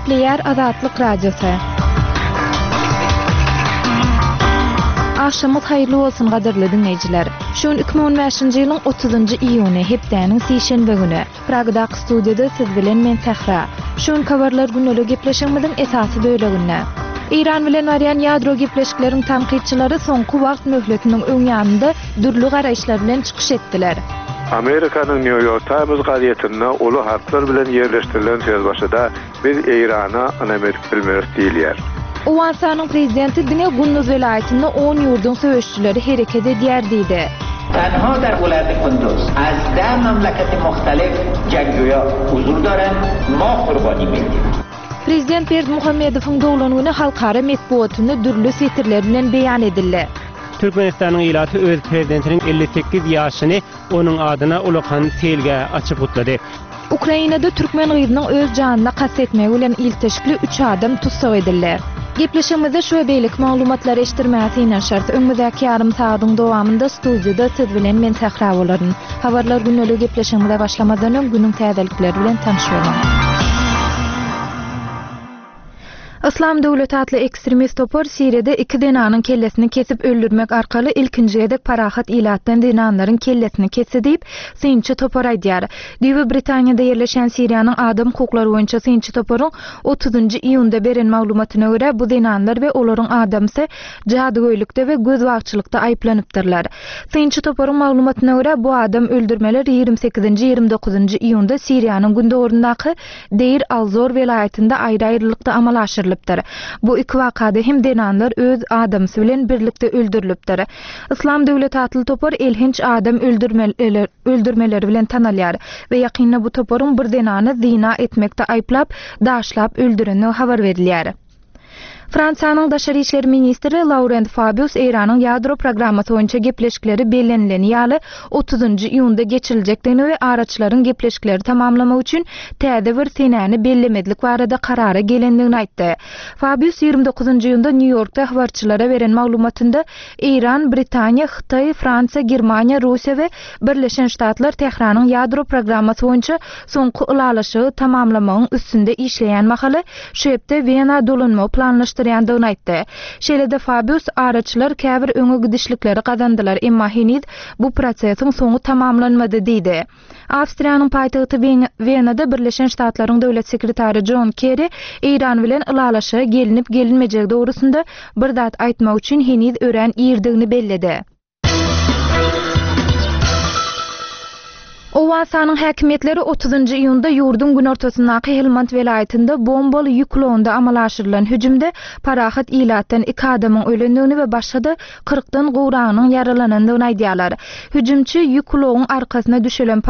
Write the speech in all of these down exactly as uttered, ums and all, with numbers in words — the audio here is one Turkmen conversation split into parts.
Gepleýär Azatlyk Radiosy. Agşamyňyz haýyrly bolsun gadyrly diňleýjiler. Şu gün iki müň on bäşinji ýylyň otuzynjy iýuny, hepdäniň sişenbe güni. Pragadaky studiýada siz bilen men Sähra. Şu günki habarlar gündelik gepleşigimiziň esasy böleginde. Eýran bilen barýan ýadro gepleşikleriň tankytçylary soňky wagt möhletiniň öň ýanynda dürli garaýyşlar bilen çykyş etdiler. Amerikanyň New York Times gazetinde uly harplar bilen ýerleşdirilen sözbaşyda Biz Eýrana ynam edip bilmeris diýilýär. Owganystanyň prezidenti diňe Gunduz welaýatynda on ýurduň söweşijileri hereket edýär diýdi. Tenha der welaýaty Kunduz az deh memleketi muhtelif jengjuýa huzur daren, ma gurbani meýdin. Prezident Berdimuhamedowyň doglan güni halkara metbugatynda dürli setirler bilen beýan edildi. Türkmenistanyň ilaty öz prezidentiniň elli sekiz ýaşyny onuň adyna ulakan seýilgäh açyp gutlady. Ukrainada türkmen gyzynyň öz janyna kast etmegi bilen ilteşikli üç adam tussag edildi. Gepleşigimizde şu we beýleki maglumatlary eşitdirmäge synanyşarys. Öňümizdäki ýarym sagadyň dowamynda studiýada siz bilen men Sähra bolaryn. Habarlar gündeligi gepleşigimize başlamazdan öň günüň täzelikleri bilen tanyş boluň. Yslam döwleti atly ekstremist topar Siriýada iki zenanyň kellesini kesip öldürmek arkaly ilkinji gezek parahat ilatdan zenanlaryň kellesini kesdi diýip, synçy topar aýdýar. Düýbi Britaniýada ýerleşýän Siriýanyň adam hukuklary boýunça synçy toparyň otuzynjy iýunda beren maglumatyna görä, bu zenanlar we olaryň adamsy jadygöýlükde we gözbagçylykda aýyplanypdyrlar. Synçy toparyň maglumatyna görä, bu adam öldürmeler ýigrimi sekizinji, ýigrimi dokuzynjy iýunda Siriýanyň gündogaryndaky Deýr al-Zor welaýatynda aýry-aýrylykda amala aşyrylypdyr. Bu iki wakada hem zenanlar öz adamsy bilen birlikde öldürilipdir. Yslam döwleti atly topar elhenç adam öldürmeleri bilen tanalýar we ýakynda bu toparyň bir zenany zyna etmekde aýyplap, daşlap öldürendigi habar berilýär. Fransiýanyň daşary işler ministri Laurent Fabius Eýranyň ýadro programmasy boýunça gepleşikleri bellenileni ýaly otuzynjy iýunda geçiriljekdigini we araçylaryň gepleşikleri tamamlamak üçin täze bir senäni bellemezlik barada karara gelendigini aýtdy. Fabius ýigrimi dokuzynjy iýunda Nýu-Ýorkda habarçylara beren maglumatynda Eýran, Britaniýa, Hytaý, Fransiýa, Germaniýa, Russiýa we Birleşen Ştatlar Tähranyň ýadro programmasy boýunça soňky ylalaşygy tamamlamagyň üstünde işleýän mahaly şu hepde Wena dolanmagy planlaşdyrýandygyny aýtdy. Şeýle-de Fabius araçylar käbir öňe gidişlikleri gazandylar, emma heniz bu prosesiň soňy tamamlanmady diýdi. Awstriýanyň paýtagty Wenada Birleşen Ştatlaryň döwlet sekretary Jon Kerri Eýran bilen ylalaşyga gelinip-gelinmejegi dogrusynda bir zat aýtmak üçin heniz örän irdigini belledi. Owganystanyň häkimiýetleri otuzynjy iýunda ýurduň günortasyndaky Helmand welaýatynda bombaly ýük ulagynda amala aşyrylan hüjümde parahat ilatdan iki adamyň ölendigini we başga-da kyrkdan gowragynyň ýaralanandygyny aýdýarlar. Hüjümçi ýük ulagyň arkasyna düşelen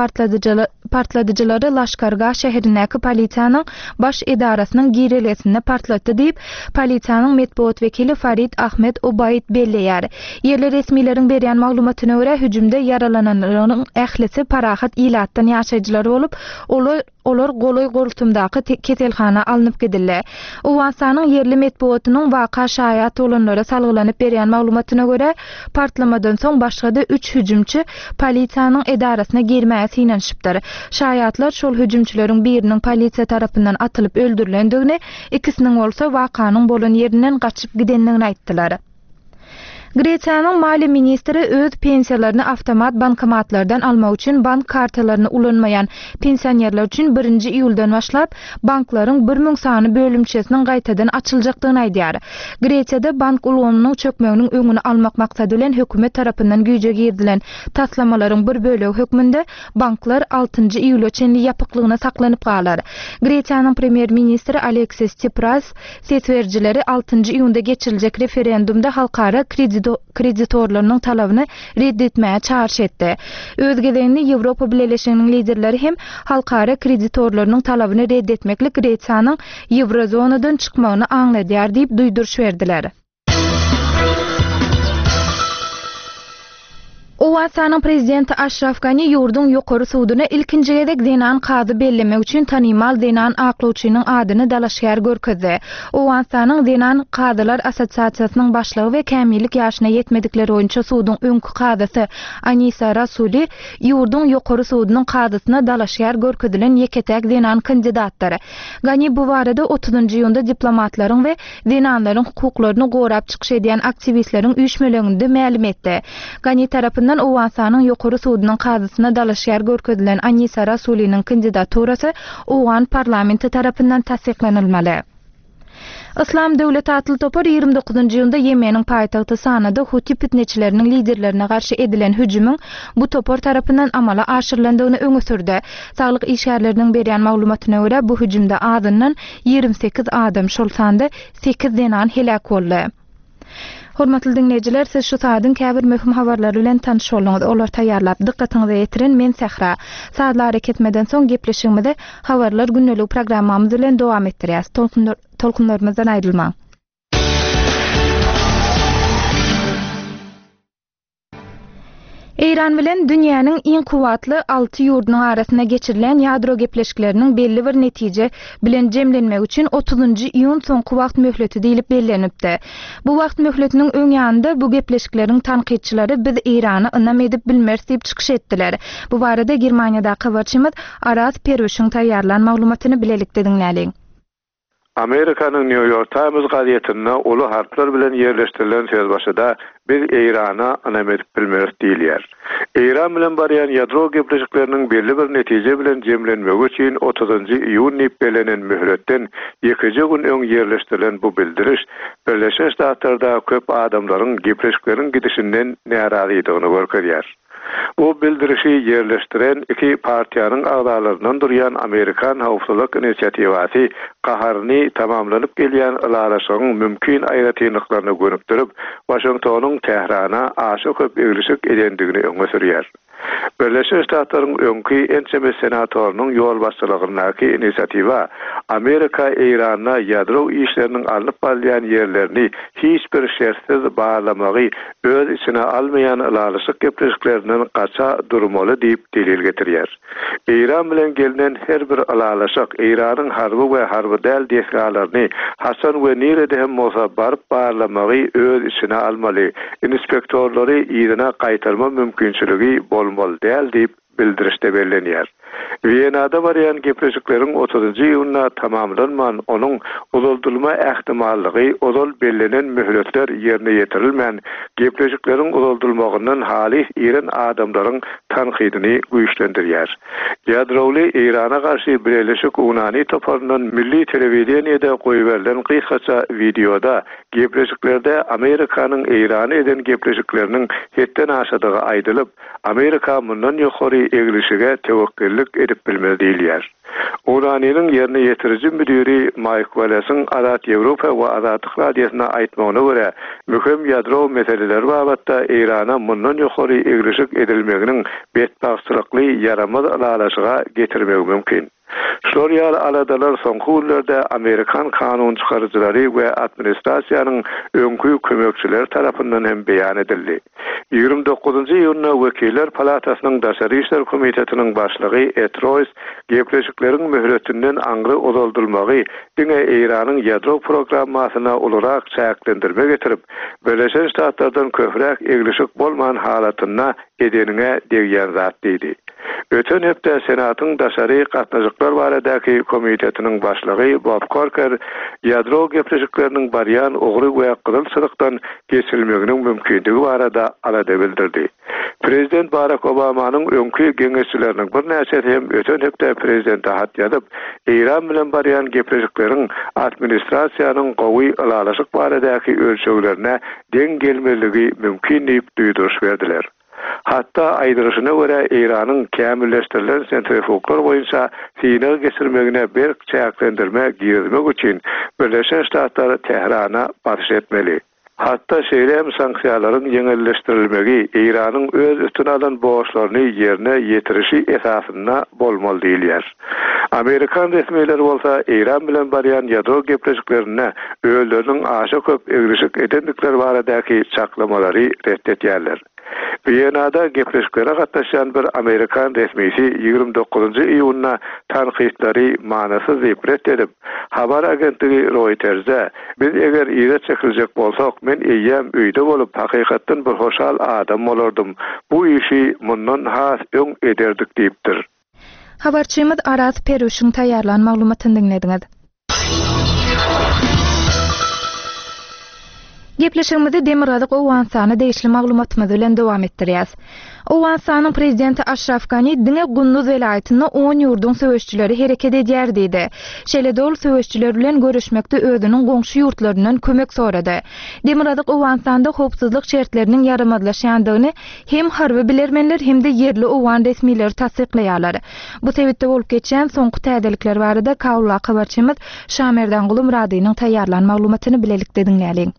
partladyjylary Laşkargah şäherindäki polisiýanyň baş edarasynyň girelgesinde partlatdy diýip, polisiýanyň metbugat wekili Farid Ahmed Obaid belleýär. Ýerli resmileriň berýän maglumatyna görä, hüjümde ýaralananlaryň ählisi parahat ilatdan ýaşaýjylar bolup, olar, olar golaý goltumdaky keselhana alnyp gidildi. Owganystanyň ýerli metbugatynyň waka şaýat bolanlara salgylanyp berýän maglumatyna görä, partlamadan soň başga-da üç hüjümçi polisiýanyň edarasyna girmäge synanyşypdyr. Şaýatlar şol hüjümçileriň biriniň polisiýa tarapyndan atylyp öldürilendigini, ikisiniň bolsa wakanyň bolan ýerinden gaçyp gidendigini aýtdylar. Gresiýanyň maliýe ministri öz pensiýalaryny awtomat bankomatlardan almak üçin bank kartalaryny ulanmaýan pensionerler üçin birinji iýuldan başlap banklaryň bir müň sany bölümçesiniň gaýtadan açyljakdygyny aýdýar. Gresiýada bank ulgamynyň çökmeginiň öňüni almak maksady bilen hökümet tarapyndan güýje girizilen taslamalaryň bir bölegi hökmünde banklar altynjy iýula çenli ýapyklygyna saklanyp galar. Gresiýanyň premýer-ministri Aleksis Tsipras ses berijileri altynjy iýunda geçiriljek referendumda halkara kreditorlarynyň talabyny red etmäge çagyryş etdi. Öz gezeginde Ýewropa Bileleşiginiň liderleri hem halkara kreditorlarynyň talabyny red etmeklik Gresiýanyň Ýewrozonadan çykmagyny aňladýar diýip duýduryş berdiler. Owganystanyň prezidenti Aşraf Gani ýurduň ýokary suduna ilkinji gezek zenan kazy bellemek üçin tanymal zenan aklawçynyň adyny dalaşgär görkezdi. Owganystanyň zenan kazylar assosiasiýasynyň başlygy we kämillik ýaşyna ýetmedikler boýunça suduň öňki kazysy Anisa Rasuli ýurduň ýokary sudunyň kazysyna dalaşgär görkezilen ýeke-täk zenan kandidatdyr. Gani bu barada otuzynjy iýunda diplomatlaryň we zenanlaryň hukuklaryny gorap çykyş edýän aktiwistleriň üýşmeleňinde mälim etdi. Gani tarapyndan Owganystanyň ýokary sudunyň kazysyna dalaşgär görkezilen Anisa Rasuliniň kandidaturasy Owgan parlamenti tarapyndan tassyklanylmaly. Islam döwleti atly topar ýigrimi dokuzynjy iýunda Ýemeniň paýtagty Sanada Huti pitneçileriniň liderlerine garşy edilen hüjümiň bu topar tarapyndan amala aşyrylandygyny öňe sürdi. Saglyk işgärleriniň berýän maglumatyna görä bu hüjümde azyndan ýigrimi sekiz adam, şol sanda sekiz zenan heläk boldy. Hormatly dinleýjiler, siz şu saadyň käbir möhüm habarlary bilen tanyş bolduňyz. Olar taýýarlap dykgatyňyza ýetiren men Sähra. Saatlar hareket soň gepleşigimizi habarlar gündelik programmamyz bilen dowam etdirýäs. Tolkunlar, tolkunlarymyzdan aýrylmaň. Eýran bilen dünýäniň iň kuwwatly alty ýurdunyň arasynda geçirilen ýadro gepleşikleriniň belli bir netije bilen jemlenmegi üçin otuzynjy iýun soňky wagt möhleti diýlip bellenipdi. Bu wagt möhletiniň öň ýanynda bu gepleşikleriň tankytçylary biz Eýrana ynam edip bilmeris diýip çykyş etdiler. Bu barada Germaniýadaky habarçymyz Araz Perwişiň taýýarlan maglumatyny bilelikde diňläliň. Amerikanyň New York Times gazetinde uly harplar bilen ýerleşdirilen sözbaşyda biz Eýrana ynam edip bilmeris diýilýär. Eýran bilen barýan ýadro gepleşikleriniň belli bir netije bilen jemlenmegi üçin otuzynjy iýun diýip bellenen möhletden ýekeje gün öň ýerleşdirilen bu bildiriş Birleşen Ştatlarda köp adamlaryň gepleşikleriň gidişinden närazydygyny görkezýär. Bu bildirişi ýerleşdiren iki partiýanyň agzalaryndan durýan Amerikan howpsuzlyk inisiatiwasy gaharyny tamamlanyp gelýän ylalaşygyň mümkin aýratynlyklaryny gönükdirip, Waşingtonyň Tährana aşa köp eglişik edendigini öňe sürýär. Birleşen Ştatlaryň öňki ençeme senatorynyň ýolbaşçylygyndaky inisiatiwa Amerika Eýranda ýadro işleriniň alnyp barylýan ýerlerini hiç bir şertsiz barlamagy öz içine almaýan ylalaşyk gepleşiklerinden gaça durmaly diýip delil getirýär. Eýran bilen gelnen her bir ylalaşyk Eýranyň harby we harby däl desgalaryny haçan we nirede hem bolsa baryp barlamagy öz içine almaly, inspektorlary yzyna gaýtarma mümkinçiligi bolmaly däl diýip bildirişde bellenýär. Wienada barýan gepleşikleriň otuzynjy iýunda tamamlanman, onuň uzaldylma ähtimallygy ozal bellenen möhletler ýerine ýetirilmän, gepleşikleriň uzaldylmagyndan halys iren adamlaryň tankydyny güýçlendirýär. Ýadrowly Eýrana garşy Birleşik Unani toparyndan milli telewideniýede goýberilen gysgaça wideoda gepleşiklerde Amerikanyň Eýrany eden gepleşikleriniň hetden aşadygy aýdylyp, Amerika mundan ýokary eglişige tewekkellik edip bilmez diýilýär. Unani'niň ýerine ýetiriji müdiri Mike Wallace'in Azat Ýewropa we Azatlyk Radiosyna aýtmagyna görä, möhüm ýadro meseleleri babatda Eýrana mundan ýokary eglişik edilmeginiň betbagtçylykly ýaramaz ylalaşyga getirmegi mümkin. Şular ýaly aladalar soňky günlerde Amerikan kanun çykaryjylary we administrasiýanyň öňki kömekçileri tarapyndan hem beýan edildi. Ýigrimi dokuzynjy iýunda Wekiller Palatasynyň Daşary Işler Komitetiniň başlygy Ed Royce gepleşikleriň möhletinden aňry uzaldylmagy diňe Eýranyň ýadro programmasyna ulurak çäklendirme getirip, Birleşen Ştatlardan köpräk eglişik bolman halatynda edeniňe degýän zat diýdi. Öten hepde Senatyň Daşary Gatnaşyklar baradaky komitetiniň başlygy Bob Corker ýadro gepleşikleriniň barýan ugry we gyzyl çyzykdan geçirilmeginiň mümkindigi barada alada bildirdi. Prezident Barack Obamanyň öňki geňeşçileriniň birnäçesi hem öten hepde prezidente hat ýazyp, Eýran bilen barýan gepleşikleriň administrasiýanyň gowy ylalaşyk baradaky ölçeglerine deň gelmeligi mümkin diýip duýduryş berdiler. Hatda aýdylyşyna görä Eýranyň kämilleşdirilen sentrifuglar boýunça synag geçirmegine berk çäklendirme girizmek üçin Birleşen Ştatlar Tährana basyş etmeli. Hatda şeýle hem sanksiýalaryň ýeňilleşdirilmegi Eýranyň öz üstüne alan borçlaryny ýerine ýetirişi esasynda bolmaly diýilýär. Amerikan resmileri bolsa Eýran bilen barýan ýadro gepleşiklerinde özleriniň aşa köp eglişik edendikleri baradaky çaklamalary ret etýärler. Wiýenada gepleşiklere gatnaşýan bir Amerikan resmisi ýigrimi dokuzynjy iýunda tankytlary manysyz diýip ret edip, habar agentligi Reuters'e biz eger yza çekiljek bolsak, men eýýäm öýde bolup hakykatdan bir hoşal adam bolardym. Bu işi mundan has öň ederdik diýipdir. Habarçymyz Araz Peruşyň taýýarlan maglumatyny diňlediňiz. Gepleşigimizi Demirgazyk Owganystana degişli maglumatymyz bilen dowam etdirýäs. Owganystanyň prezidenti Aşraf Gani diňe Gunduz welaýatynda on ýurduň söweşçileri hereket edýär diýdi. Şeýle-de ol söweşçiler bilen görüşmekde özüniň goňşy ýurtlaryndan kömek sorady. Demirgazyk Owganystanda howpsuzlyk şertleriniň ýaramazlaşýandygyny hem harby bilermenler hem-de ýerli owgan resmileri tassyklaýarlar. Bu sebitde bolup geçýän soňky täzelikler barada Kabulda habarçymyz Şamerdan Gulumradynyň taýýarlan maglumatyny bilelikde diňläliň.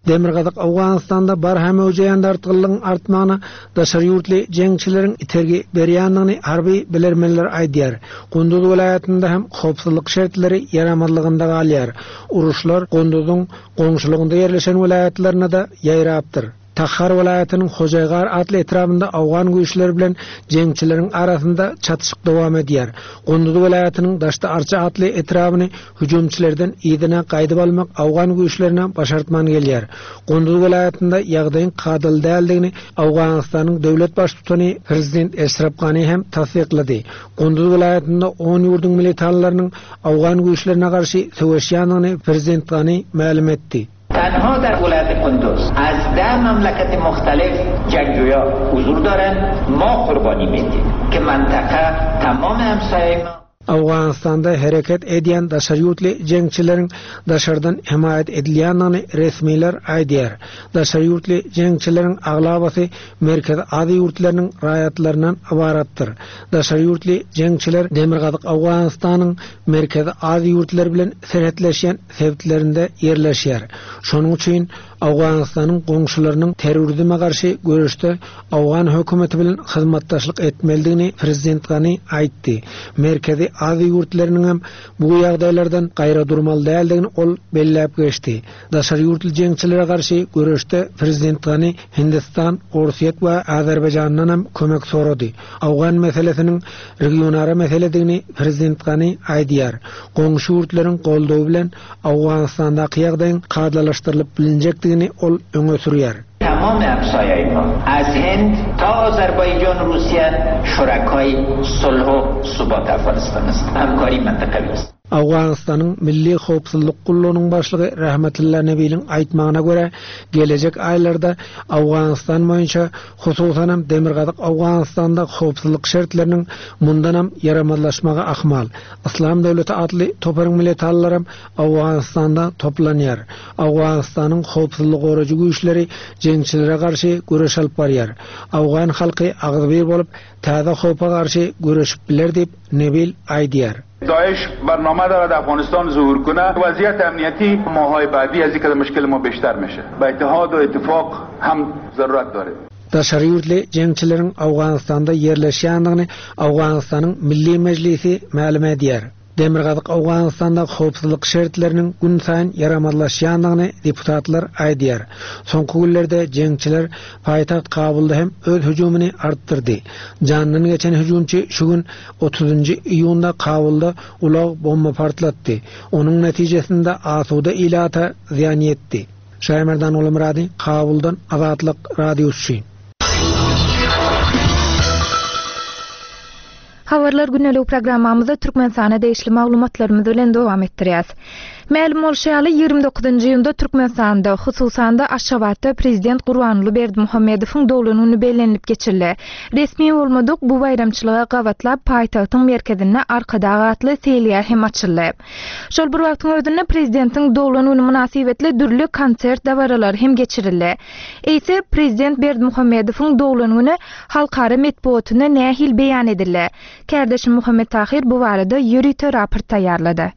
Demirgazyk Owganystanda barha möwjeýän dartgynlygyň artmagyna daşary ýurtly jeňçileriň itergi berýändigini harby bilermenler aýdýar. Gunduz welaýatynda hem howpsuzlyk şertleri ýaramazlygynda galýar. Uruşlar Gunduzyň goňşulygynda ýerleşen welaýatlaryna-da ýaýrapdyr. Takhar welaýatynyň Hojaýgar atly etrabynda Owgan güýçleri bilen jeňçileriň arasynda çatyşyk dowam edýär. Gunduz welaýatynyň Daşda Arça atly etrabyny hüjümçilerden yzyna gaýdyp almak Owgan güýçlerine başartman gelýär. Gunduz welaýatynda ýagdaýyň kadaly däldigini Owganystanyň döwlet baştutany Prezident Eşraf Gani hem tassyklady. Gunduz welaýatynda on ýurduň militanlarynyň Owgan güýçlerine garşy söweşýändigini Prezident Gani mälim etdi. تنها در ولایت قندوز از ده مملکت مختلف جنگجویا حضور دارند. ما قربانی میدیم که منطقه تمام همسایه ما Owganystanda hereket edýän daşary ýurtly jeňçileriň daşardan himaýat edilýändigini resmiler aýdýar. Daşary ýurtly jeňçileriň aglabasy Merkezi Aziýa ýurtlarynyň raýatlaryndan ybaratdyr. Daşary ýurtly jeňçiler Demirgazyk Owganystanyň Merkezi Aziýa ýurtlary bilen serhetleşýän sebitlerinde ýerleşýär. Şonuň üçin Owganystanyň goňşularynyň terrorizme garşy göreşde Owgan hökümeti bilen hyzmatdaşlyk etmelidigini Prezident Gani aýtdy. Merkezi Aziýa ýurtlarynyň hem bu ýagdaýlardan gaýra durmaly däldigini ol belläp geçdi. Daşary ýurtly jeňçilere garşy göreşde Prezident Gani Hindistan, Orsýet we Azerbaýjandan hem kömek sorady. Owgan meselesiniň regionara meseledigini Prezident Gani aýdýar. Goňşy ýurtlaryň goldawy bilen Owganystandaky ýagdaýyň kadalaşdyrylyp bilinjekdigini ol öňe sürýär. تمام همسایه‌های ما از هند تا آذربایجان روسیه شرکای صلح و ثبات افغانستان است. همکاری منطقوی است. Owganystanyň Milli Howpsuzlyk gullugynyň başlygy Rahmetulla Nebiliň aýtmagyna görä, gelejek aýlarda Owganystan boýunça hususan hem Demirgazyk Owganystanda howpsuzlyk şertleriniň mundan hem ýaramazlaşmagy ahmal. Islam döwleti atly toparyň militanlary hem Owganystanda toplanýar. Owganystanyň howpsuzlyk gorajy güýçleri jeňçilere garşy göreş alyp barýar. Owgan halky agzybir bolup, täze howpa garşy göreşip biler diýip Nebil aýdýar. داعش برنامه دارد افغانستان ظهور کنه. وضعیت امنیتی ماهای بعدی از اینکه مشکل ما بیشتر میشه. به اتحاد و اتفاق هم ضرورت داره. Daşary ýurtly jeňçileriň Owganystanda ýerleşýändigini Owganystanyň Milli Mejlisi mälim edýär. Demirgazyk Owganystanda howpsuzlyk şertleriniň gün saýyn ýaramazlaşýandygyny deputatlar aýdýar. Soňky günlerde jeňçiler paýtagt Kabulda hem öz hüjümini artdyrdy. Jandan geçen hüjümçi şu gün otuzunjy iýunda Kabulda ulag bomba partlatdy. Onuň netijesinde asuda ilata zyýan ýetdi. Şaýmerdan Ulumrady, Kabuldan Azatlyk radiosy. Habarlar gündelik programmamyzda Türkmenistana degişli maglumatlarymyz bilen dowam etdirýäs. Mälim bolşy ýaly ýigrimi dokuzynjy iýunda Türkmenistanda, hususan-da Aşgabatda Prezident Gurbanguly Berdimuhamedowyň doglan güni bellenilip geçirildi. Resmi bolmadyk bu baýramçylyga gabatlap paýtagtyň merkezinde Arkadag atly seýilgäh hem açyldy. Şol bir wagtyň özünde prezidentiň doglan güni mynasybetli dürli konsert dabaralary hem geçirildi. Eýse Prezident Berdimuhamedowyň doglan güni halkara metbugatynda nähili beýan edildi? Kardeşim Muhammed Tahir bu barada ýörite raport taýýarlady.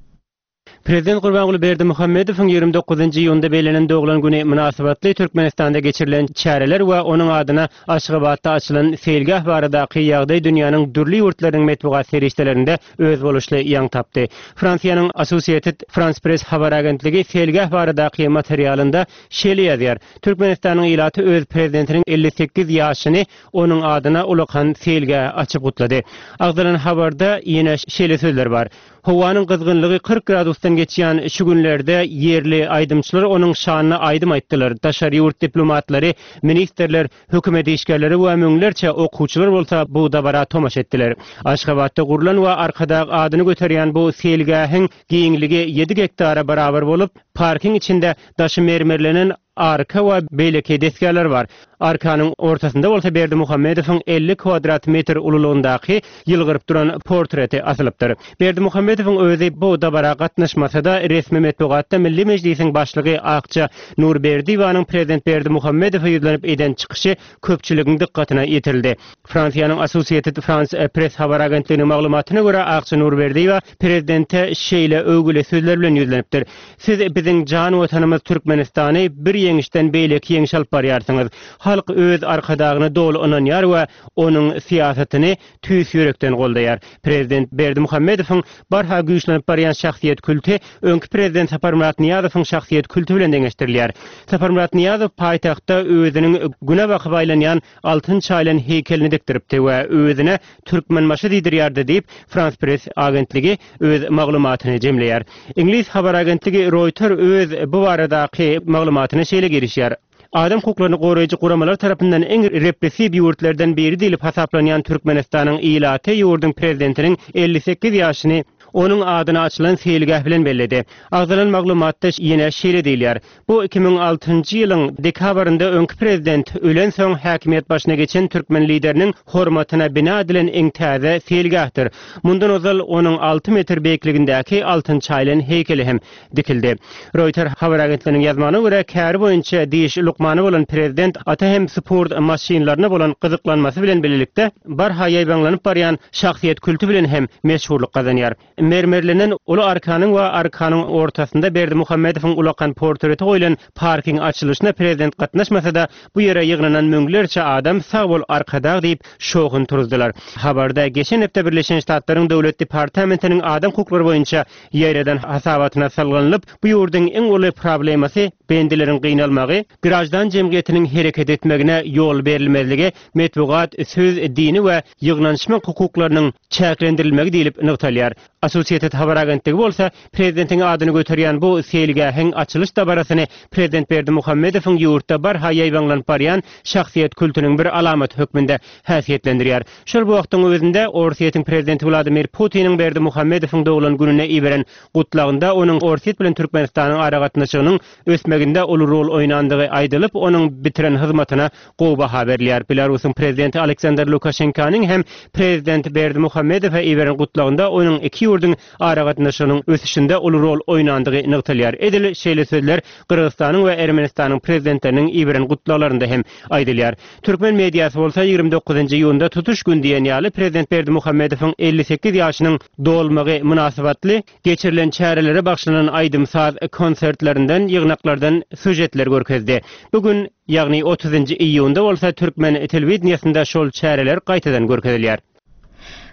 Prezident Gurbanguly Berdimuhamedowyň ýigrimi dokuzynjy iýunda bellenen doglan güni mynasybetli Türkmenistanda geçirilen çäreler we onuň adyna Aşgabatda açylan seýilgäh baradaky ýagdaý dünýäniň dürli ýurtlarynyň metbugat serişdelerinde özboluşly ýaň tapdy. Fransiýanyň Associated France Press habar agentligi seýilgäh baradaky materialynda şeýle ýazýar: Türkmenistanyň ilaty öz prezidentiniň elli sekiz ýaşyny onuň adyna ulakan seýilgäh açyp gutlady. Agzalan habarda ýene şeýle sözler bar: Howanyň gyzgynlygy kyrk gradusdan geçýän şu günlerde ýerli aýdymçylar onuň şanyna aýdym aýtdylar. Daşary ýurt diplomatlary, ministrler, hökümet işgärleri we müňlerçe okuwçylar bolsa bu dabara tomaşa etdiler. Aşgabatda gurlan we Arkadag adyny göterýän bu seýilgähiň giňligi ýedi gektara barabar bolup, parkyň içinde daşy mermerlenen arka we beýleki desgalar bar. Arkanyň ortasynda bolsa Berdimuhamedowyň elli kvadrat metr ululygyndaky ýylgyryp duran portreti asylypdyr. Berdimuhamedowyň özi bu dabara gatnaşmasa-da resmi metbugatda Milli Mejlisiň başlygy Akça Nurberdiýewanyň prezident Berdimuhamedowa ýüzlenip eden çykyşy köpçüligiň dykgatyna ýetirildi. Fransiýanyň Associated France Press habar agentliginiň maglumatyna görä Akça Nurberdiýewa prezidente şeýle öwgüli sözler bilen ýüzlenipdir: Siz biziň jan watanymyz Türkmenistany bir ýeňişden beýleki ýeňiş alyp barýarsyňyz. Halk öz arkadagyna doly ynanýar we onuň syýasatyny tüýs ýürekden goldaýar. Prezident Berdimuhamedowyň barha güýçlenip barýan şahsyýet külti öňki prezident Saparmyrat Nyýazowyň şahsyýet külti bilen deňeşdirilýär. Saparmyrat Nyýazow paýtagtda özüniň güne bakyp aýlanýan altyn çaýlan heykelini dikdiripdi we özüne Türkmenbaşy diýdirýärdi diýip France Press agentligi öz maglumatyny jemleýär. Iňlis habar agentligi Reuters öz bu baradaky maglumatyny şeýle girişýär: Adam hukuklaryny goraýjy guramalar tarapyndan iň repressiw ýurtlardan biri diýlip hasaplanýan Türkmenistanyň ilaty ýurduň prezidentiniň elli sekiz ýaşyny onuň adyna açylan seýilgäh bilen belledi. Agzalan maglumatda ýene şeýle diýilýär: Bu iki müň altynjy ýylyň dekabrynda öňki prezident ölen soň häkimiýet başyna geçen türkmen lideriniň hormatyna bina edilen iň täze seýilgähdir. Mundan ozal onuň alty metr beýikligindäki altyn çaýlan heýkeli hem dikildi. Reuters habar agentliginiň ýazmagyna görä käri boýunça diş lukmany bolan prezident ata hem sport maşynlaryna bolan gyzyklanmasy bilen birlikde barha ýaýbaňlanyp barýan şahsyýet külti bilen hem meşhurlyk gazanýar. Mermerlenen uly arkanyň we arkanyň ortasynda Berdimuhamedowyň ulakan portreti goýlan parkyň açylyşyna prezident gatnaşmasa-da bu ýere ýygnanan müňlerçe adam sag bol Arkadag diýip şowhun turuzdylar. Habarda geçen hepde Birleşen Ştatlaryň Döwlet Departamentiniň adam hukuklary boýunça ýaýradan hasabatyna salgylanyp, bu ýurduň iň uly problemasy bendileriň gynalmagy, grajdan jemgyýetiniň hereket etmegine ýol berilmezligi, metbugat, söz, dini we ýygnanyşmak hukuklarynyň çäklendirilmegi diýlip nygtalýar. Associated habar agentligi bolsa prezidentiň adyny göterýän bu seýilgähiň açylyş dabarasyny prezident Berdimuhamedowyň ýurtda barha ýaýbaňlanyp barýan şahsyýet kültüniň bir alamaty hökmünde häsiýetlendirýär. Şol bu wagtyň özünde Orsýetiň prezidenti Wladimir Putiniň Berdimuhamedowyň doglan gününe iberen gutlagynda onuň Orsýet bilen Türkmenistanyň aragatnaşygynyň ösmeginde uly rol oýnandygy aýdylyp, onuň bitiren hyzmatyna gowy baha berilýär. Belarusyň prezidenti Aleksandr Lukaşenkanyň hem prezident Berdimuhamedowa iberen gutlagynda onuň iki ýurduň aragatnaşygynyň ösüşinde uly rol oýnandygy nygtalýar. Edil şeýle sözler Gyrgyzystanyň we Ermenistanyň prezidentleriniň iberen gutlaglarynda hem aýdylýar. Türkmen mediasy bolsa ýigrimi dokuzynjy iýunda tutuş gün diýen ýaly prezident Berdimuhamedowyň elli sekiz ýaşynyň dolmagy mynasybatly geçirilen çärelere bagşlanan aýdym-saz konsertlerinden, ýygnaklardan süjetler görkezdi. Bugün, ýagny otuzynjy iýunda bolsa Türkmen telewideniýasynda şol çäreler gaýtadan görkezilýär.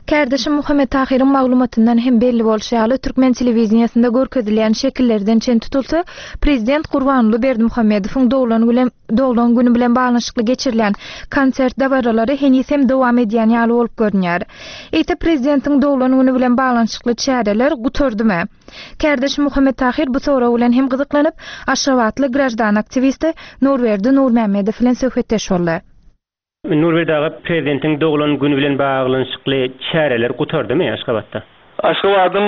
Kardeşim Muhammet Tahyryň maglumatyndan hem belli bolşy ýaly Türkmen telewideniýasynda görkezilýän şekillerden çen tutulsa, prezident Gurbanguly Berdimuhamedowyň doglan güni doglan günü bilen baglanyşykly geçirilen konsert dabaralary heniz hem dowam edýän ýaly bolup görünýär. Eýte prezidentiň doglan günü bilen baglanyşykly çäreler gutardymy? Kardeşim Muhammet Tahyr bu sorag bilen hem gyzyklanyp, Aşgabatly grajdan aktiwisti Nurberdi Nurmämmedow bilen söhbetdeş boldy. Nurberdi aga, prezidentiň doglan günü bilen baglanyşykly çäreler gutardymy Aşgabatda? Aşgabadyň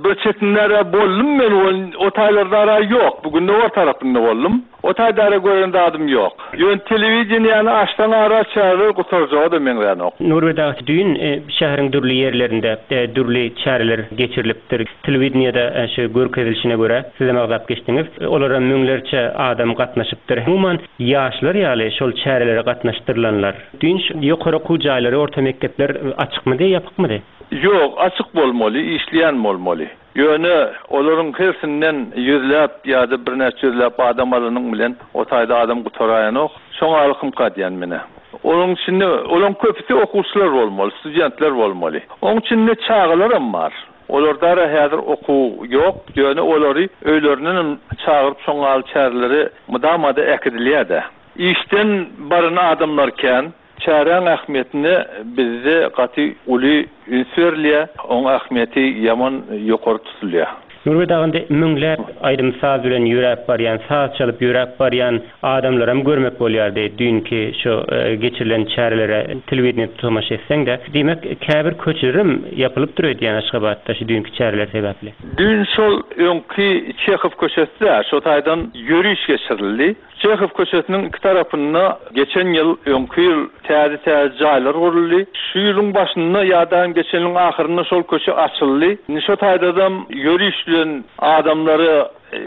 bir çetinlere boldum men, o taýlardara ýok. Bugün de o tarapynda boldum. O taýdara gören dadım ýok. Ýön telewideniýany açdan ara çäreler gutarjagy da meňzän ok. Nurberdi aga, düýn, e, şäheriň dürli ýerlerinde, e, dürli çäreler geçirilipdir. Telewideniýada, e, şu görkezilişine görä siz hem agzap geçdiňiz. E, olara müňlerçe adam gatnaşypdyr. Umuman ýaşlar ýaly şol çärelere gatnaşdyrylanlar. Düýn ýokary okuw jaýlary, orta mekdepler açykmydy, ýapykmydy? Ýok, açyk bolmaly, işleýän bolmaly. Ýöne olaryň hersinden ýüzläp ýa-da birnäçe ýüzläp adam alanyň bilen o taýda adam gutaraýanok. Şoňa alkym kadýan mene. Onuň içinde olaryň köpüsi okuwçylar bolmaly, studentler bolmaly. Onuň içinde çagalar bar. Olarda häzir okuw ýok. Ýöne olary öýlerinden çagyryp şoňa çäreleri mydamada äkidilýär-de. Işden baran adamlar kän, çäreň ähmiýetine bizde gaty uly üns berilýär. Oň ähmiýeti ýaman ýokary tutulýar. Nurbe dagynda müňläp aýdym saz bilen ýöräp barýan, saz çalyp ýöräp barýan adamlaram görmek bolýardy. Düýnki şu e, geçirilen çärelere telewideniýe tomaşa etseň-de, diýmek käbir köçelerim ýapylyp durýan Aşgabatda şu düýnki çäreler sebäpli. Düýn şol öňki Çehow köçesi şo taýdan ýöriş geçirildi. Çehow köçesiniň iki tarapynda geçen ýyl öňki ýyl täze täze jaýlar guruldy. Şu ýylyň başynda ýa-da geçen ýylyň ahyrynda şol köçe açyldy. Indi şo taýdadam ýöriş bilen adamlary e,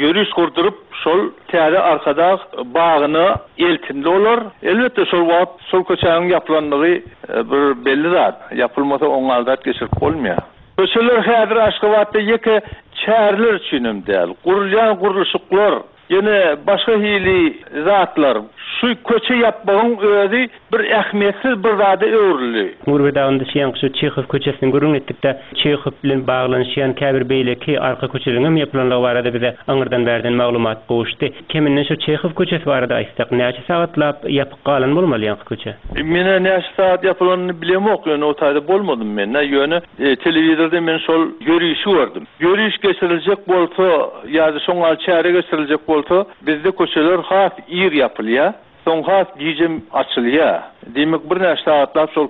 ýöriş gurduryp şol täze Arkadag bagyna eltindi olar. Elbetde şol wagt şol köçäniň ýapylanlygy e, bir belli zat. Ýapylmasa oňa geçirip bolmaýar. Köçeler häzir Aşgabatda ýeke çäreler üçinem däl. Gurulýan gurluşyklar, ýene başga hili zatlar. Şu köçe ýapmagyň özi bir ähmiýetsiz bir zada öwrüldi. Nurbe dagynda şeýan şu Çehow köçesini gürrüň etdik-de, Çehow bilen baglanyşýan käbir beýleki arka köçeleriň hem ýapylanlygy barada bize aňyrdan berden maglumat gowuşdy. Keminden şu Çehow köçesi barada aýtsak, näçe sagatlap ýapyk galan bolmaly ýaňky köçe? Mene näçe saat ýapylanyny bilemok, ýöne o taýda bolmadym men. Ýöne e, telewizorda men şol ýörişi gördüm. Ýöriş geçiriljek bolsa ýa-da şoňa çäre geçiriljek bolsa, bizde köçeler has ir ýapylýar. Soň has gijem açylýar. Diýmek bir näçe sagatlap şol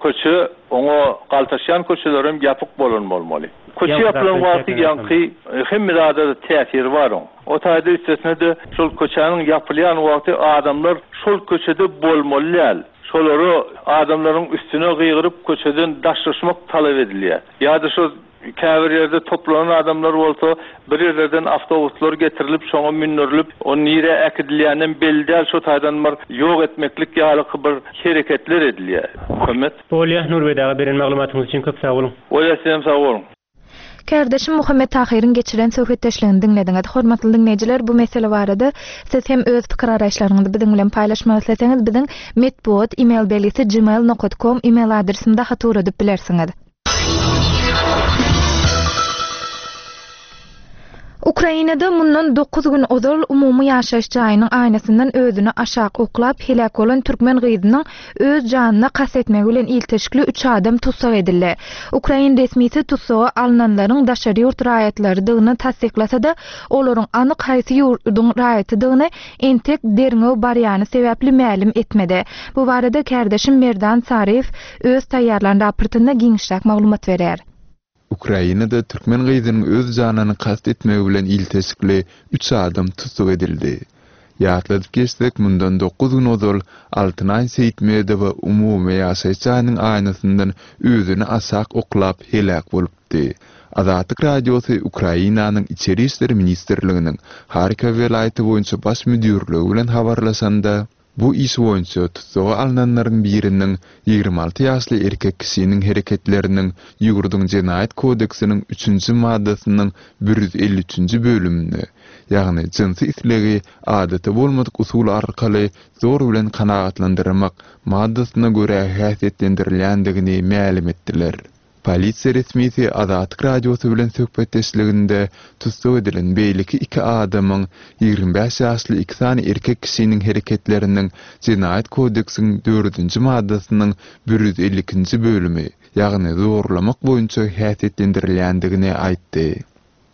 köçe oňa galtaşýan köçelerim ýapyk bolan bolmaly. Köçe ýapylan wagty ýaňky hemme zada täsiri bar oň. O taýda üstesine de şol köçäniň ýapylýan wagty adamlar şol köçede bolmaly däl. Şolary adamlaryň üstüne gygyryp köçeden daşlaşmak talap edilýär. Ýa-da şol käbir ýerde toplanan adamlar bolsa bir ýerlerden awtobuslar getirilip şoňa mündirilip o nire äkidilýänden belli däl şo taýdan bir ýok etmeklik ýaly bir hereketler edilýär. Muhammet. Bolýa Nurbe daga beren maglumatyňyz üçin köp sag boluň. Bolýa sizem sag boluň. Kärdeşim Muhammet Tahyryň geçiren söhbetdeşligini diňlediňiz. Hormatly diňleýjiler, bu mesele barada siz hem öz pikir araýyşlaryňyzy biziň bilen paýlaşmak isleseňiz, biziň metbugat e-mail belgisi gmail nokta com e-mail adresinde hat ugradyp bilersiňiz. Ukrainada mundan dokuz gün ozal umumy ýaşaýyş jaýynyň aýnasyndan özüni aşak oklap helak bolan türkmen gyzynyň öz janyna kast etmegi bilen ilteşikli üç adam tussag edildi. Ukrain resmisi tussaga alynanlaryň daşary ýurt raýatlarydygyny tassyklasa-da, olaryň anyk haýsy ýurduň raýatydygyny entek derňew barýany sebäpli mälim etmedi. Bu barada kärdeşim Merdan Saryýew öz taýýarlan raportynda giňişräk maglumat berer. Ukrainada türkmen gyzynyň öz janyny kast etmegi bilen ilteşikli üç adam tussag edildi. Ýatladyp geçsek, mundan dokuz gün ozal Altynay Seýitmedowa umumy ýaşaýyş jaýynyň aýnasyndan özüni aşak oklap helak bolupdy. Azatlyk Radiosy Ukrainanyň Içeri İşler Ministrliginiň Harkov welaýaty boýunça baş müdürligi bilen habarlaşanda, bu iş boýunça tussaga alynanlaryň biriniň ýigrimi alty ýaşly erkek kişiniň hereketleriniň ýurduň Jenaýat kodeksiniň üçünji maddasynyň bir ýüz elli üçünji bölümine, ýagny jynsy islegi adaty bolmadyk usul arkaly zor bilen kanagatlandyrmak maddasyna görä häsiýetlendirilýändigini mälim etdiler. Polisiýa resmisi Azatlyk Radiosy bilen söhbetdeşliginde tussag edilen beýleki iki adamyň ýigrimi bäş ýaşly iki sany erkek kişiniň hereketleriniň Jenaýat kodeksiniň dördünji maddasynyň bir ýüz elli ikinji bölümi, ýagny zorlamak boýunça häsiýetlendirilýändigini aýtdy.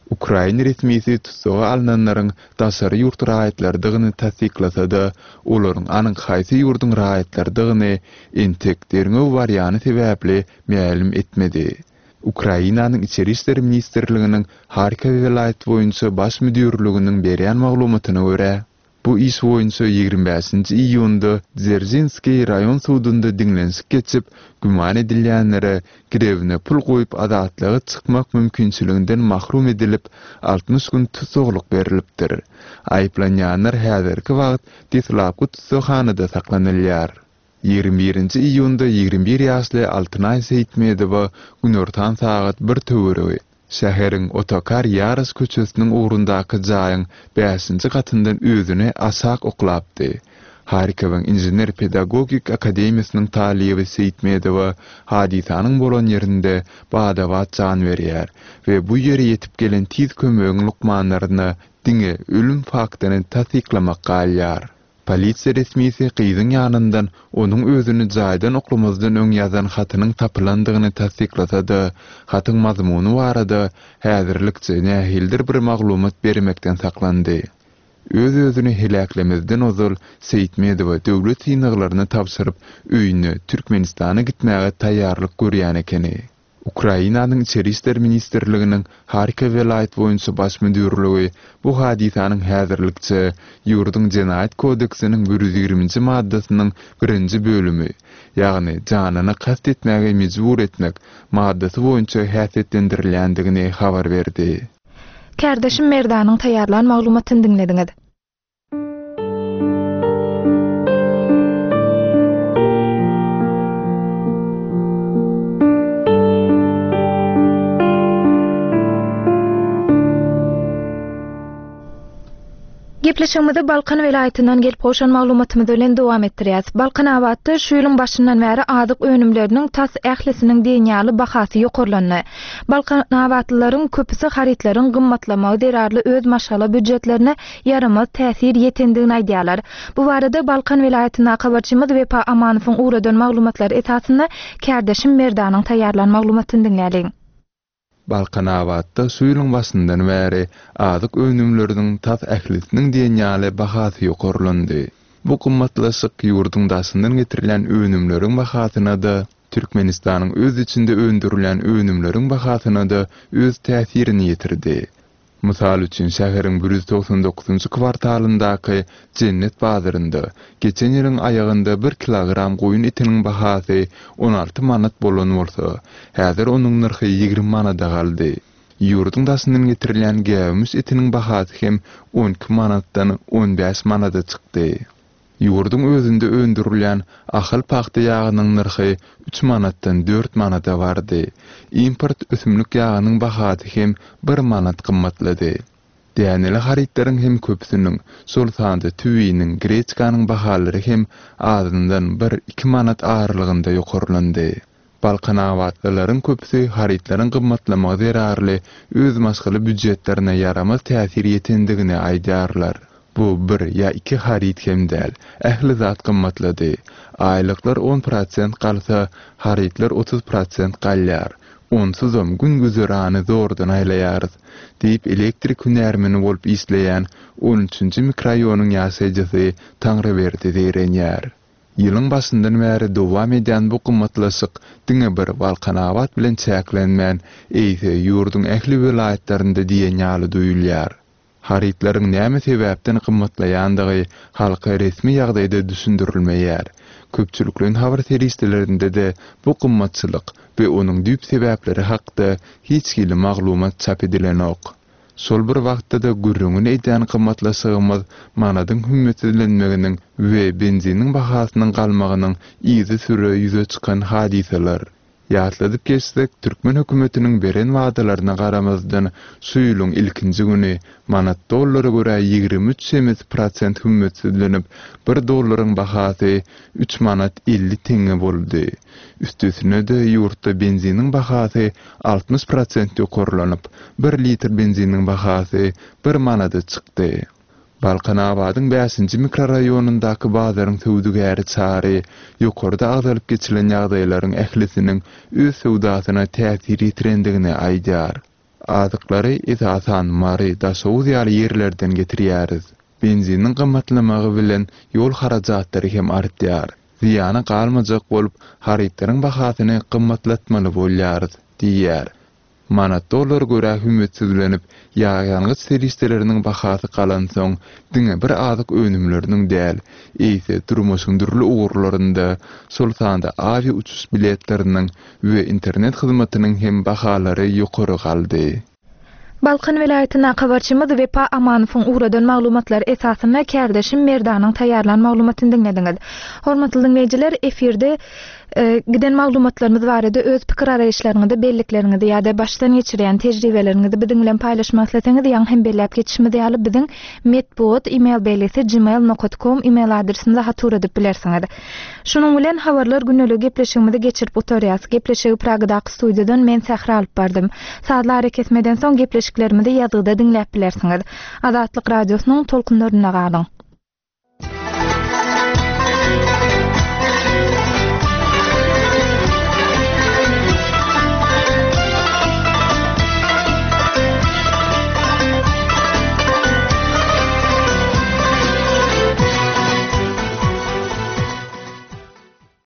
Ukrain resmisi tussaga alynanlaryň daşary ýurt raýatlarydygyny tassyklasa-da, olaryň anyk haýsy ýurduň raýatlarydygyny entek derňew barýany sebäpli mälim etmedi. Ukrainanyň Içeri İşler Ministrliginiň Harkov welaýaty boýunça baş müdürliginiň berýän maglumatyna görä, bu iş boýunça ýigrimi bäşinji iýunda Dzerjinskiý raýon sudunda diňlenişik geçip, güman edilýänlere girewine pul goýup azatlyga çykmak mümkinçiliginden mahrum edilip, altmyş gün tussaglyk berilipdir. Aýyplanýanlar häzirki wagt deslapky tussaghanada saklanylýar. Ýigrimi birinji iýunda ýigrimi bir ýaşly Altynaý Seýitmedowa günortan sagat bir töweregi şäheriň Otokar Ýaros köçesiniň ugrundaky jaýyň bäşinji gatyndan özüni aşak oklapdy. Harkowyň Inžener-pedagogik akademiýasynyň talyby Seýitmedowa hadysanyň bolan ýerinde bada-bat jan berýär we bu ýere ýetip gelen tiz kömegiň lukmanlaryna diňe ölüm faktyny tassyklamak galýar. Polisiýa resmisi gyzyň ýanyndan onuň özüni jaýdan oklamazdan öň ýazan hatynyň tapylandygyny tassyklasa-da, hatyň mazmuny barada häzirlikçe nähilidir bir maglumat bermekden saklandy. Öz-özüni heläklemezden ozal Seýitmedowa döwlet synaglaryny tabşyryp, öýüne Türkmenistana gitmäge taýýarlyk görýän ekeni. Ukrainanyň Içeri işler ministrliginiň Harkow welaýat boýunça baş müdirligi bu hadysanyň häzirlikçe ýurduň Jenaýat kodeksiniň bir ýüz ýigriminji maddasynyň birinji bölümi, ýagny janyna kast etmäge mejbur etmek maddasy boýunça häsiýetlendirilýändigini habar berdi. Kärdeşim Merdanyň taýýarlan maglumatyny diňlediňiz. Gepleşigimizi Balkan welaýatyndan gelip gowşan maglumatymyz bilen dowam etdirýäs. Balkanabatda şu ýylyň başyndan bäri azyk önümleriniň tas ählisiniň diýen ýaly bahasy ýokarlandy. Balkanabatlylaryň köpüsi harytlaryň gymmatlamagy zerarly öz maşgala býujetlerine ýaramaz täsir ýetendigini aýdýarlar. Bu barada Balkan welaýatyndaky habarçymyz Wepa Amanowyň ugradan maglumatlary esasynda kärdeşim Merdanyň taýýarlan maglumatyny diňläliň. Balkanabatda şu ýylyň başyndan bäri azyk önümleriniň tas ählisiniň diýen ýaly bahasy ýokarlandy. Bu gymmatlaşyk ýurduň daşyndan getirilen önümleriň bahasyna-da, Türkmenistanyň öz içinde öndürilen önümleriň bahasyna-da öz täsirini ýetirdi. Mysal üçin, şäheriň bir ýüz togsan dokuzynjy kwartalyndaky Jennet bazarynda geçen ýylyň aýagynda bir kilogram goýun etiniň bahasy on alty manat bolan bolsa, häzir onuň nyrhy ýigrimi manada galdy. Ýurduň daşyndan getirilen gäwmiş etiniň bahasy hem on iki manatdan on bäş manada çykdy. Ýurduň özünde öndürilýän ahal pagta ýagynyň nyrhy üç manatdan dört manada bardy. Import ösümlik ýagynyň bahasy hem bir manat gymmatlady. Däneli harytlaryň hem köpüsiniň, şol sanda tüwiniň, greçkanyň bahalary hem azyndan bir-iki manat aralygynda ýokarlandy. Balkanabatlylaryň köpüsi harytlaryň gymmatlamagy zerarly öz maşgala býujetlerine ýaramaz täsir ýetendigini aýdýarlar. Bu bir ýa iki haryt hem däl, ähli zat gymmatlady. Aýlyklar on prosent galsa, harytlar otuz prosent galýar. Onsuzam gün güzerany zordan aýlaýarys, diýip elektrik hünärmeni bolup işleýän on üçünji mikroraýonyň ýaşaýjysy Taňryberdi zeýrenýär. Ýylyň başyndan bäri dowam edýän bu gymmatlaşyk diňe bir Balkanabat bilen çäklenmän, eýse ýurduň ähli welaýatlarynda diýen ýaly duýulýar. Harytlaryň näme sebäpden gymmatlaýandygy halka resmi ýagdaýda düşündirilmeýär. Köpçülikleýin habar serişdelerinde-de bu gymmatçylyk we onuň düýp sebäpleri hakda hiç hili maglumat çap edilenok. Şol bir wagtda-da gürrüňini edýän gymmatlaşygymyz manadyň hümmetsizlenmeginiň we benziniň bahasynyň galmagynyň yzy süre ýüze çykan hadysalar. Ýatladyp geçsek, türkmen hökümetiniň beren wadalaryna garamazdan şu ýylyň ilkinji güni manat dollara görä ýigrimi üç çemesi prosent hümmetsizlenip, bir dollaryň bahasy üç manat elli teňňe boldy. Üstesine-de ýurtda benziniň bahasy altmyş prosent ýokarlanyp, bir litr benziniň bahasy bir manada çykdy. Balkanabadyň bäşinji mikroraýonyndaky bazaryň söwdagäri Çary ýokarda agzalyp geçilen ýagdaýlaryň ählisiniň öz söwdasyna täsir ýetirendigini aýdýar. Azyklary esasan Mary, Daşoguz ýaly ýerlerden getirýäris. Benziniň gymmatlamagy bilen ýol harajatlary hem artýar. Zyýana galmajak bolup, harytlaryň bahasyny gymmatlatmaly bolýarys, diýýär. Manat dollar görä hümmetsizlenip, ýag ýangyç serişdeleriniň bahasy galansoň, diňe bir azyk önümleriniň däl, eýse durmuşyň dürli ugurlarynda, şol sanda awia uçuş biletleriniň we internet hyzmatynyň hem bahalary ýokary galdy. Balkan welaýatyndaky habarçymyz Wepa Amanowyň ugradan maglumatlary esasynda kärdeşim Merdanyň taýýarlan maglumatyny diňlediňiz. Hormatly diňleýjiler, efirde e, giden maglumatlarymyz barada öz pikir araýyşlaryňyzy, bellikleriňizi ýa-da başdan geçirýän tejribeleriňizi biziň bilen paýlaşmak isleseňiz, ýaňy hem belläp geçişimiz ýaly biziň metbugat e-mail belgisi gmail.com e-mail adresimize hat ugradyp bilersiňiz. Şunuň bilen habarlar gündelik gepleşigimizi geçirip gutarýas. Gepleşigi Pragadaky studiýadan men Sähra alyp bardym. Sazly arakesmeden soň gepleşiklerimizi ýazgyda diňläp bilersiňiz. Azatlyk radiosynyň tolkunlarynda galyň.